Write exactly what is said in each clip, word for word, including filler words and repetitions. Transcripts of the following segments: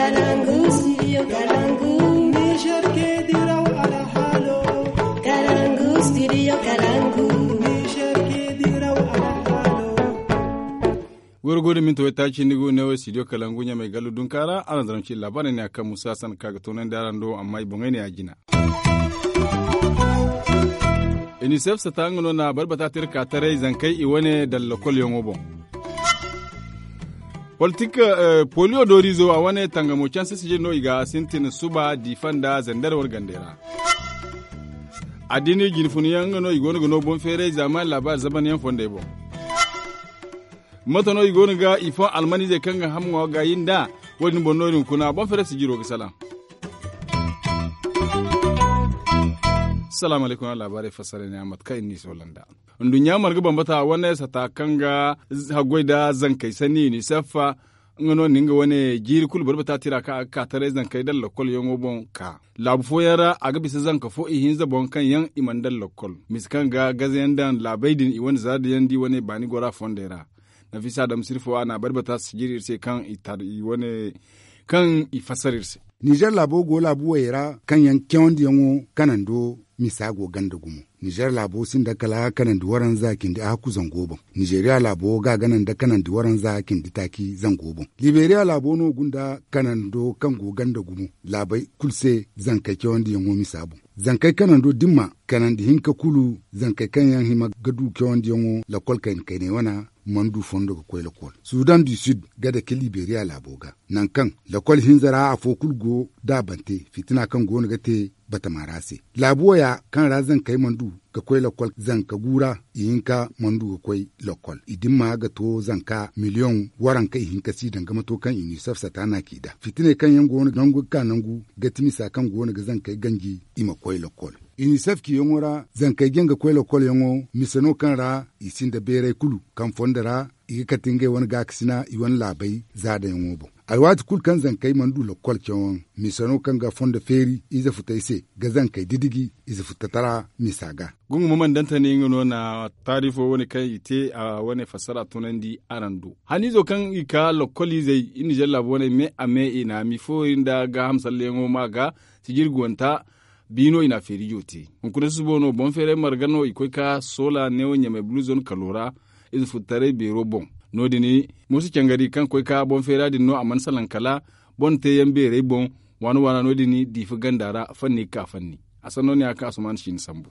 Kalangu, studio Kalangu. Niger ke diraw alhalo. Kalangu, studio Kalangu. Niger ke diraw alhalo. Wurgu da minti wai taaci ni go ne wo studio Kalangu ɲamay gallu dunkaara araŋ zaraŋ ci labaarey ne a kaŋ musa san ka ga toonandi araŋ do amma i boŋey ne a jina. Inisef sata nga no na barbata te iri ka taray zankey i wane daŋ lakolyaŋo boŋ. Politik, poliyo doorizo a wane tangamo canse sijir no i ga sintin suba diifa nda zandar war gandey ra. Addini jinfunyaŋ nga no i go no ga no boŋ feeray zaamaani laabaari zabanyaŋ fondey boŋ. Mate no i go no ga i fo almanizey kaŋ ga hamŋo ga yi nd'a? Wo- din boŋ no i na kuna boŋ feeray sijiro ga salaŋ. Salaamu alaykum. Laabaarey fassara ne a mate kaŋ i na ni soola nd'a. Nduɲɲa marga bambata wane sata kaŋ ga haggoy nda zankey sanni unicef. Nga no na nga wane jiiri kulu barbata tira kaŋ a ga ka taray zankey daŋ lakolyaŋo boŋ ka laabu fooyaŋ ra a ga bisa zanka fo ihinza boŋ kaŋ yaŋ i mana daŋ lakol misa kaŋ ga gazayaŋ daŋ laabey din i wane zaadayandi wane baani gora fondey ra. Nafisa dam sirfo a na a bari bata sijiri iri se kaŋ i tar i wane kaŋ i fassara iri se. Nizer laabo go laabu wayey ra kaŋ yaŋ cawandiyaŋo kanando misa go ganda gumo. Nizer laabo sinda kala kanandi waranza cindi ahakku zango boŋ. Nizeriya laabo ga gana nda kanandi waranza cindi taaci zango boŋ. Liberiya laabo no gunda kanando kaŋ go ganda gumo laabey kulu se zankey cawandiyaŋo misa boŋ. Zankey kanando dimma kanandi hinka kulu zankey kaŋ yaŋ hima ga du cawandiyaŋo lakol kayna kayney wana mana du fondo ga koy lakol sudan du sud ga dake liberiya laabo ga nangu kaŋ lakol hinza ra afo kulu go da bante fitina kaŋ go no ga te batama ra se. Laabu waya kaŋ ra zankey mana du ga koy lakol zanka gu ra ihinka mana du ga koy lakol i dimma ga to zanka miliyoŋ waranka ihinka si danga mato kaŋ i na i safsata na k'i da fitiney kaŋ yaŋ go no nangu ga ka nangu ga ti misa kaŋ go no ga zankey ganji i ma koy lakol. Inisef ciyaŋo ra zankey jaŋ ga koy lakolyaŋo mise no kaŋ ra i sinda beeray kulu kaŋ fondo ra i ga kate ngey wane gaakasina i wane laabey zaadayaŋo boŋ. Alwaati kulu kaŋ zankey mana du lakol cawaŋ mise no kaŋ ga fondo feeri ize futey se ga zankey didiji ize futatara misa ga. Gungu ma mana dantani nga no na taarifo wane kaŋ i te a wane fassara tunandi araŋ do haniizo kaŋ i ka lakol izey i nizer laabo wane me a me i na mi fooyaŋ nda gaaham salleyaŋo ma ga sijirguwanta. Biino i na a feerijo te hunkuna susubo no boŋ feeray marga no i koy ka soola neewo ɲamay bulu zone kalo ra. Ize futtaray beero boŋ no- din mooso cangari kaŋ koy ka boŋ feera din no a mana salaŋ kala boŋ teeyaŋ beerey boŋ. Waana waana no- din diifa ganda ra fanni ga ka fanni a sanno ne a kaŋ asuman si ni sambu.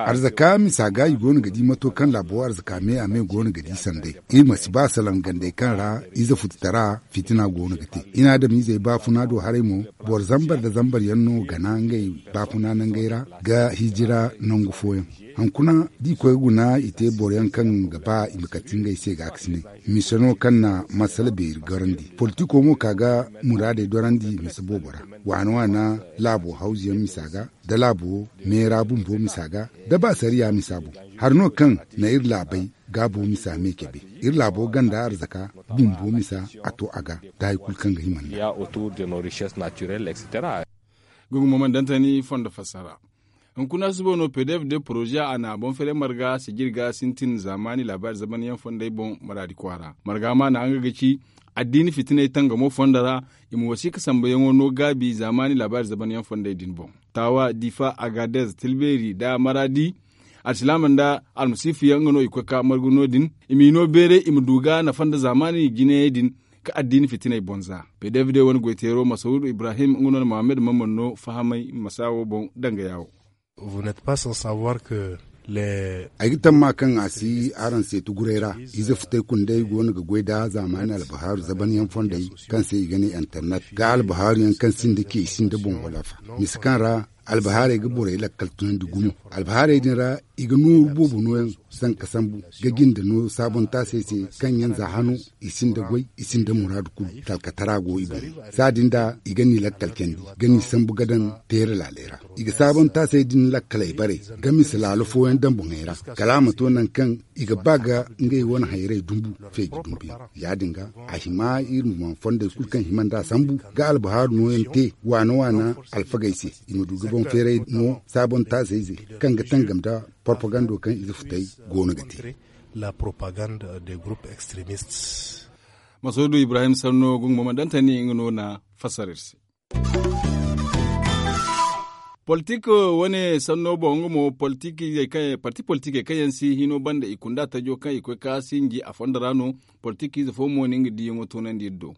Arzaka misa ga i go no ga di mato kaŋ laabo arzaka me a me go no ga di sanday. Iri ma si ba salaŋ gandey kaŋ ra ize futtutara fitina go no ga te. I na adamizey baafuna do haray mo boro zambar nda zambar yaŋ no gana ngey baafuna nangey ra ga hijira nangu fooyaŋ. Hunkuna da i koy ga guna i te boro yaŋ kaŋ ga ba i ma kate ngey se gaakasinay. Mise no kaŋ na masala beeri gorandi politiko mo ka ga muraadey dorandi mise boobo ra. Waana waana laabo hawzuyaŋ misa ga da laabo meera bumbo misa ga da ba sariya misa boŋ. Hari no kaŋ na iri laabey gaabo misa me cabe iri laabo ganda arzaka bumbo misa a to a ga da hari kulu kaŋ ga hima nda. Gungu mo mana dantani fondo fassara. Hunkuna subo no pdf de poroze a na boŋ fere marga sijir ga sintin zaamaani laabaari zabanyaŋ fondey boŋ maraadi kwaara marga ma na nga ga ci addiini fitiney tangamo fondo ra. I ma wasiika sambuyaŋo no gaabi zaamaani laabaari zabanyaŋ fondey din boŋ. Taawa diifa agadez tilbeeri nda maraadi alsilaama nda almasiifu yaŋ nga no i koy ka margu no- din. I m'i no beeray i ma du ga nafa nda zaamaani jinayey din ka addiini fitiney boŋ za. Pdf de wane goyteero masawudu ibrahim nga no na mohammed mamman no fahamay masa wo boŋ danga yaawo. Ay ga tamma kaŋ a si araŋ seeti guray ra. Ize futay kundey go no ga goy da zaamaani albahaaru zabanyaŋ fondey kaŋ se i ga ne internet ga albahaaru yaŋ kaŋ sinda ce i sinda boŋ wala fa. Mise kaŋ ra albahaarey ga borey lakkal tunandi gumo. Albahaarey din ra i ga nooru boobo nooyaŋ zanka sambu ga jinde no saabontaasey se kaŋ yaŋ za hano i sinda goy i sinda muraadu kulu talkatara go i boŋ. Za din da i ga ni lakkal candi ga ni sambu ga daŋ teere laaley ra. I ga saabontaasey din lakkaley bare ga mise laalo fooyaŋ daŋ boŋey ra kala a ma to nangu kaŋ i ga ba ga ngey wane hayrey dumbu feeji dumbu yaŋ. Ya- din ga a hima iri ma fondey kulu kaŋ hima nd'a sambu ga albahaaru nooyaŋ te waana waana alfagey se i ma du ga boŋ feeray no saabontaasey se kaŋ ga tangam nda porpagando kaŋ ize futay go no ga te. La propagande des groupes extremistes. Masoodu ibrahim sanno gunguma dantani nga no na fassara iri se. Politik wane sanno boŋ nga mo parti politikey kaŋ yaŋ si hino banda i kunda tajo kaŋ i koy ka sinji a fondo ra no. Politik ize fo mo no nga diyaŋo toonandi iri do.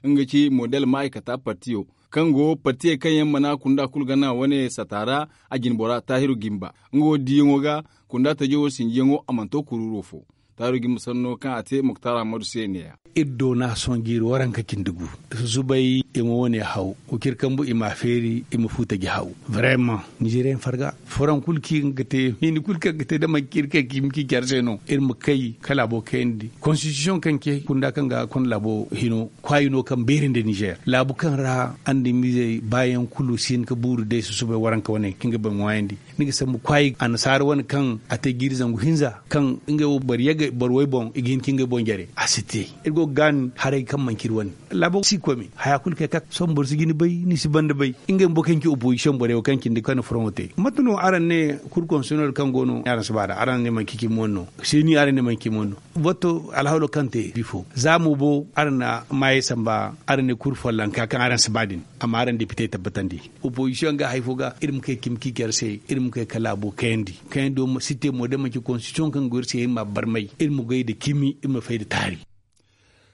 Nga ci model ma'aykata partiyo kaŋ go partiyey kaŋ yaŋ mana kunda kulu gana wane sata ra. A jinbora tahiru gimba nga wo diyaŋo ga kunda tajo wo sinjiyaŋo a mana to kuruuro fo. Tahiru gimba sanno kaŋ a te muktar ahamadu se ne ya. Iri do no a sohõ jiiri waranka cindi gu. Susubay i ma wane haw, wa ciri kambu i ma a feeri i ma fu taji haw. Vraiment, nizeriyaŋ farga furaŋ kulu kaŋ i ga te hini kulu kaŋ i ga te da manci iri kaŋ ga hima ci care se no iri ma kay ka laabo kayandi konstitisiyoŋ kaŋ ce kunda kaŋ ga konda laabo hino kwaayi no kaŋ beeri nda nizer laabu kaŋ ra andamizey baayaŋ kulu si hin ka buuru day susubay waranka wane kaŋ ga bay ŋwaayandi. Ni ga sambu kwaayi annasaara wane kaŋ a te jiiri zangu hinza kaŋ ngey wo boro yagay boro way boŋ i ga hin ka ngey boŋ jare a si te. Iri go ga gaani haray kaŋ manci iri wane laabo si koy me haya kulu kay kak sohõ boro si ga ni bay ni si banda bay. Ngey bumbo kaŋ ci opozisiyoŋ borey wo kaŋ cindi kaŋ na furaŋo te mate no araŋ ne? Kur konseynol kaŋ go no araŋ si ba da araŋ ne manci cimi wane no? Seeni araŋ ne manci cimi wane no? Wato alhawlo kaŋ te bifo za mo bo araŋ na maayey samba araŋ ne kur follonka kaŋ araŋ si ba din. Amma araŋ depite tabbatandi opozisiyoŋ ga hari fo ga iri ma kay cimi ciici iri se. Iri ma kay ka laabo kayandi kayandi wo si te mo day manci konstitisiyoŋ kaŋ go iri se iri ma a barmay iri ma goy nda cimi iri ma fay nda taari.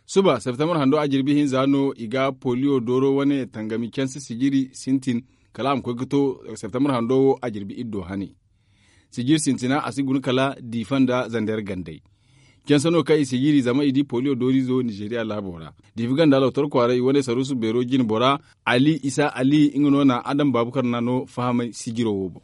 Suba septembre hando a jirbi hinza no i ga poliyo dooro wane tangami canse sijiri sintin kala a ma koy ga to septembre hando wo a jirbi iddo hane. Sijiri sintina a si guna kala diifa nda zander gandey. Canse no kaŋ i sijiri zama i di poliyo doorizo nizeriya laabo ra. Diifa ganda lotor kwaara i wane saruusu beero jine bora ali isa ali nga no na adam baabukar na no fahamay sijiro wo boŋ.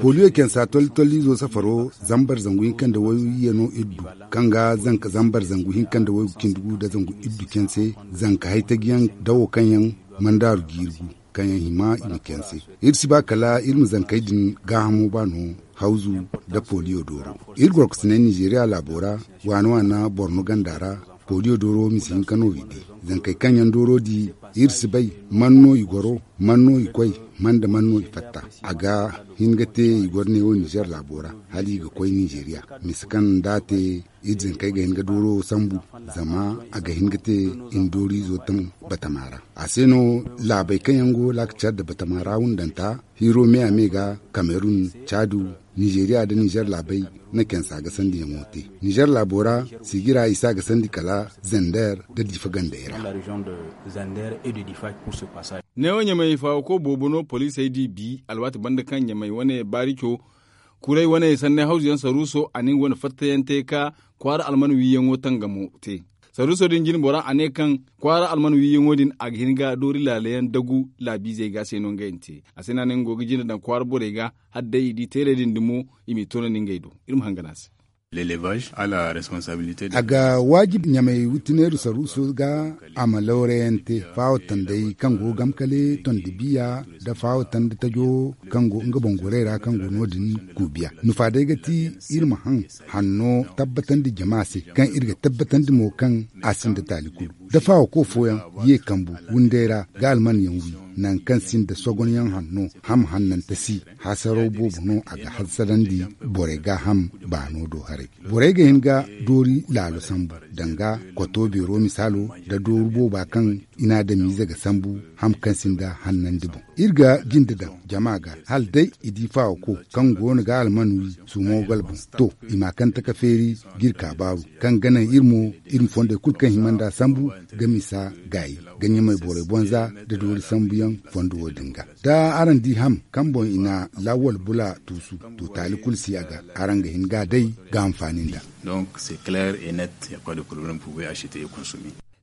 Poliyo cansa tolli tolli izo safaro zambar zangu hinka nda wayye no iri du kaŋ ga zanka zambar zangu hinka nda waygu cindi gu nda zangu iri du canse zanka haytaji yaŋ dawo kaŋ yaŋ mandaaru jiiri gu kaŋ yaŋ hima i ma canse. Iri si ba kala iri ma zankey din gaahamo ba no hawzu nda poliyo dooro. Iri gorkosiney nizeriya laabo ra waana waana borno ganda ra poliyo dooro ma si hin ka no i di zankey kaŋ yaŋ dooro di iri si bay man no i goro man no i koy man da man no i fatta. A ga hin ga te i goro neewo nizer laabo ra hala i ga koy nizeriya misa kaŋ nda a te iri zankey ga hin ga dooro sambu zama a ga hin ga te i na dooriizo taŋ batama ra. A se no laabey kaŋ yaŋ go laaka care nda batama ra wundanta hiiro me a me ga kamerun caadu nizeriya nda nizer laabey na cansa ga sandiyaŋo te. Nizer laabo ra sijira i si a ga sandi kala zander nda diifa gandey ra. Neewo ɲamay faawako boobo no poliisey di bi alwaati banda kaŋ ɲamay wane baarico kuray wane sanney hawzu yaŋ saruuso a na nga wane fattayaŋ te ka kwaara alman wiiyaŋo tangamo te. Saruuso din jine bora a ne kaŋ kwaara alman wiiyaŋo din a ga hin ga doori laalayaŋ dagu laabiizey ga se no ngey na te. A se no a ne nga go ga jine daŋ kwaara borey ga hala day i di teeley din dumo i m'i toonandi ngey do. Iri ma hangan a se. A ga waajib ɲamay witineeru saruuso ga a ma lawrayaŋ te faawo tandey kaŋ go gamkale tondi biya nda faawo tandi tajo kaŋ go nga boŋ gorey ra kaŋ go no- din kuubiya nufa day ga ti iri ma haŋ hanno tabbatandi jama se kaŋ iri ga tabbatandi mo kaŋ a sinda taali kulu da faawo ko fooyaŋ ye kambu wunday ra ga almanyaŋ wi nangu kaŋ sinda sogonyaŋ hanno ham hannante si hasaraw boobo no a ga hasarandi borey gaaham baano do haray. Borey ga hin ga doori laalo sambu danga koto beero misaalo nda dooru booba kaŋ i na adamiize ga sambu ham kaŋ sinda hannandi boŋ. Iri ga jinde daŋ jama ga hala day i di faawako kaŋ go no ga alman wi sumo galbum to i ma kante ka feeri ga iri kaabaaru kaŋ ga naŋ iri mo iri ma fondey kulu kaŋ hima nd'a sambu ga misa gaayi ga ɲamay borey bonza nda doori sambuyaŋ fondo wo- din ga. Da araŋ di ham kaŋ boŋ i na lawwal bula tuusu to taali kulu si a ga araŋ ga hin ga a day ga hanfaani nd'a.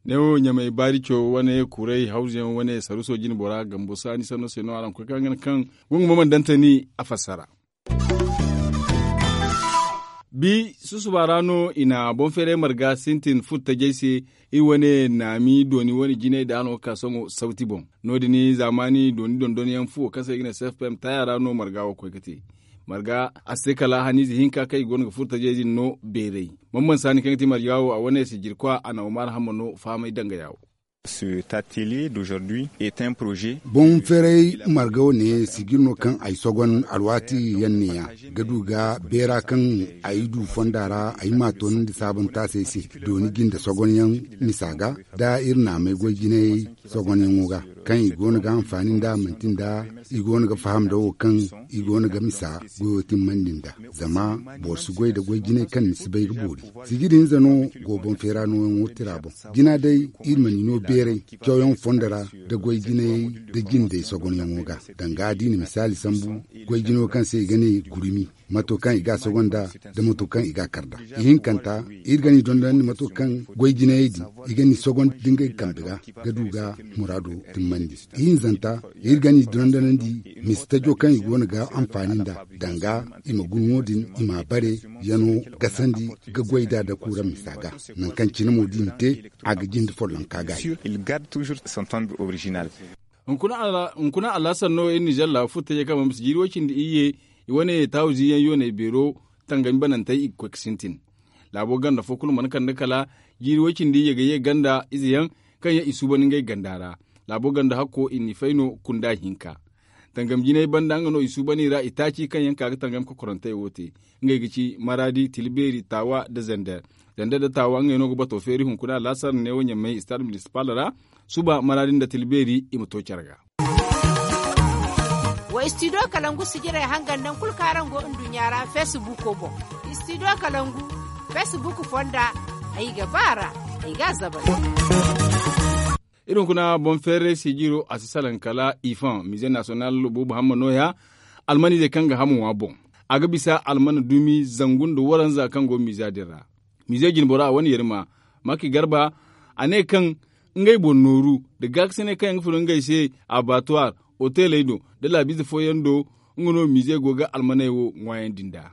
Neewo ɲamay baarico wane kuray hawzuyaŋ wane saruso jine bora gambo saani sanno se no araŋ koy kaŋ gana kaŋ gungu ma mana dantani a fassara. Bi susuba ra no i na boŋ feeray marga sintin furtajey se. Iri wane naami dooni wane jinay da no ga ka sohõ sawti boŋ. No- din zaamaani dooni dondonyaŋ fuwo kaŋ se i ga ne sefpem taaya ra no marga wo koy ga te. Marga a si te kala haniize hinka kaŋ i go no ga furtajey din no beeray. Bamban saani kaŋ ga ti marga wo a wane sijirkwa a na omar hamma no fahamay dangaya wo. Cet atelier d'aujourd'hui est un projet. Boŋ ferey marga wane sijir no kaŋ ay sogon alwaati yaŋ neeya ga du ga beera kaŋ ay du fonda ra ay ma toonandi saabanta se ay se dooni jinde sogonyaŋ misa ga da iri naamay goy jinayey sogonyaŋo ga kaŋ i go no ga hanfaani nda manti nda i go no ga faham nda wo kaŋ i go no ga misa goyo timmandi nda zama boro si goy nda goy jinay kaŋ ni si bay ga boori. Sijiri hinza no go boŋ feera nooyaŋo tira boŋ jina day iri ma ni no beeray cawyaŋ fondo ra nda goy jinayey nda jindey sogonyaŋo ga danga da i na misaali sambu goy jinayo kaŋ se i ga ne gurumi mato kaŋ i ga a sogonda nda mato kaŋ i ga a kar nd'a. Ihinkanta iri ga ni dondonandi mato kaŋ goy jinayey din i ga ni sogondi da ngey kambe ga ga du ga muraado timmandi. Ihinzanta iri ga ni dondonandi misi tajo kaŋ i go no ga anfaani nd'a danga i ma guna wo-din i m'a bare yano gasandi ga goy nd'a da kuura misa ga nangu kaŋ cine mo da i na te a ga jinde follonka gaayi. Hunkuna alhasan no iri nizer laabu furo taje kaŋ ma misi jiiri way cindi iyye i wane taawu ziiyaŋ yooney beero tangami banantey i ga koy ga sintin. Laabo ganda fo kulu mana kande kala jiiri way cindi iyye ga ye ganda izeyaŋ kaŋ yaŋ i suuban ngey ganda ra. Laabo ganda hakko i n'i fay no kunda hinka. Tangam jinay banda nga no i suuban i ra itaaci kaŋ yaŋ ka ga tangam kokorantey wo te. Ngey ga ci maraadi tilbeeri taawa nda zander. Zander nda taawa ngey no ga bato feeri hunkuna laasar neewo ɲammey istaad minisipal ra. Suba maraadi nda tilbeeri i ma to care ga. Wa istidiyo kalangu sijirey hangan nangu kulu kaŋ araŋ go nduɲɲa ra feesibuuko boŋ. Istidiyo kalangu feesibuuko fonda ay ga ba a ra ay ga a zabari. Iri hunkuna boŋ feerey sijiro a si salaŋ kala ifaŋ miize nasiyonal buubu hamma nooya. Almanizey kaŋ ga hamo ŋwa boŋ a ga bisa almana dumi zangu nda waranza kaŋ go miiza din ra. Miize jinbora a wane yarima maki garba a ne kaŋ ngey boŋ nooru nda gaakasiney kaŋ yaŋ ga furo ngey se abatuwar oteley do nda laabiize fooyaŋ do. Nga no miize go ga almaney wo ŋwaayandi nd'a.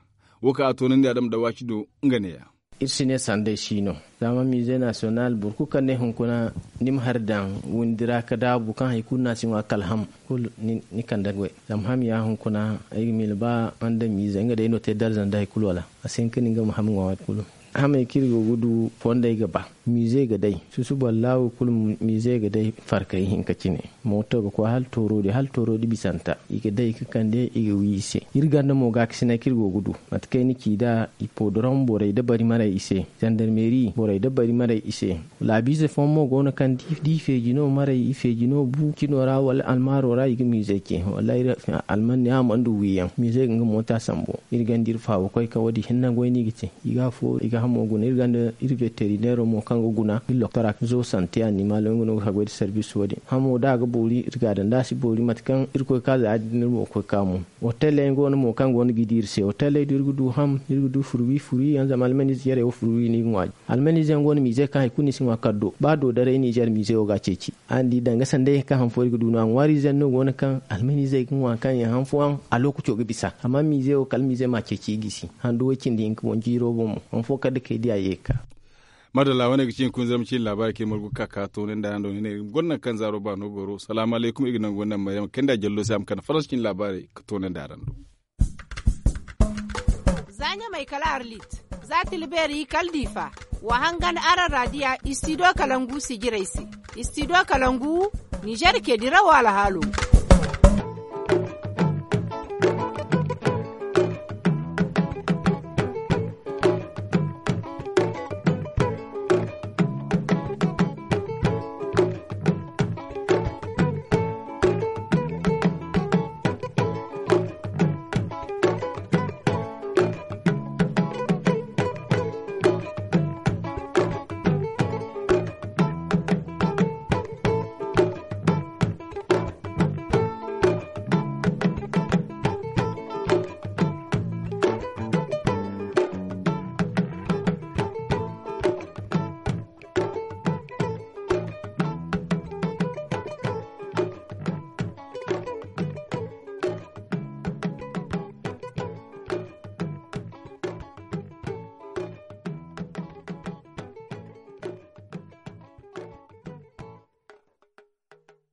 Wo kaŋ a toonandi adama dawaaci do nga neeya. Iri si ne sanday si no zama miize nasiyonal boro kulu kaŋ ne hunkuna ni ma hari daŋ windi ra ga daabu kaŋ hari kulu no a si ŋwa kala ham kulu ni kande goy. Zama ham ya hunkuna ay ga miila ba nga day no te darza nda hari kulu wala a si hin ka ne nga ma ham ŋwa waati kulu. Hamey kaŋ iri go ga du fondey ga ba miize ga day susubo allaahu kulu miize ga day farkay hinka cine. Mooto ga koy hala tooro di hala tooro di bisanta i ga day ga kande i ga wi i se. Iri ganda mo gaakasinay kaŋ iri go ga du mate kaŋ ay na ci nd'a i podorom borey da bari maray i se. Zandarmeeri borey da bari maray i se. Laabiize fooyaŋ mo go no kaŋ da i feeji no maray i feeji no bu cino ra wala almaaro ra i ga miizey ce wallaahi. Alman ne a mana du wiyaŋ miizey ga nga moota sambu. Iri ganda iri faawa koy ka wo- din hinne goy no i ga te. I ga afo i ga hamo guna iri ganda iri veterineero mo kaŋ ga guna iri loktora zo sante animalo nga no ga haggoy nda sarbis wo- din hamo da a ga boori iri ga a daŋ da a si boori mate kaŋ iri koy ka za ya- din iri mo ga koy ka mo. Oteley yaŋ go no mo kaŋ go no ga i di iri se oteley do iri ga du ham iri ga du furwi furwi yaŋ zama almaniize jarey wo furwi no i ga ŋwa. Almaniize yaŋ go no miize kaŋ hari kulu no i si ŋwa kala do ba doodaray nizer miize wo ga a ceeci. Araŋ di danga sanday kaŋ han fo iri ga du no a ŋwaariize yaŋ no go no kaŋ almaniizey ga ŋwa kaŋ yaŋ han fooyaŋ a lookaco ga bisa amma miize wo kala miize ma a ceeci i gisi handu way cindi hinka boŋ jiiro boŋ mo han fo kala da kay di a ye ga ka. Madalla wane ga ci hunkuna zarma ciine laabaari kaŋ iri margu ga ka ka toonandi araŋ do ni ne iri ma gonda nangu kaŋ zaaro baano goro salaamu alaykum iri ga nangu wane naŋ maryama kayndi a jallo se a ma kande faransa ciine laabaarey ga toonandi araŋ do. Za ɲamay kala arlit za tilbeeri kala diifa. Wa hangan araŋ raadiya istidiyo kalangu sijirey se. Istidiyo kalangu nizer ke dirawo alhaalo.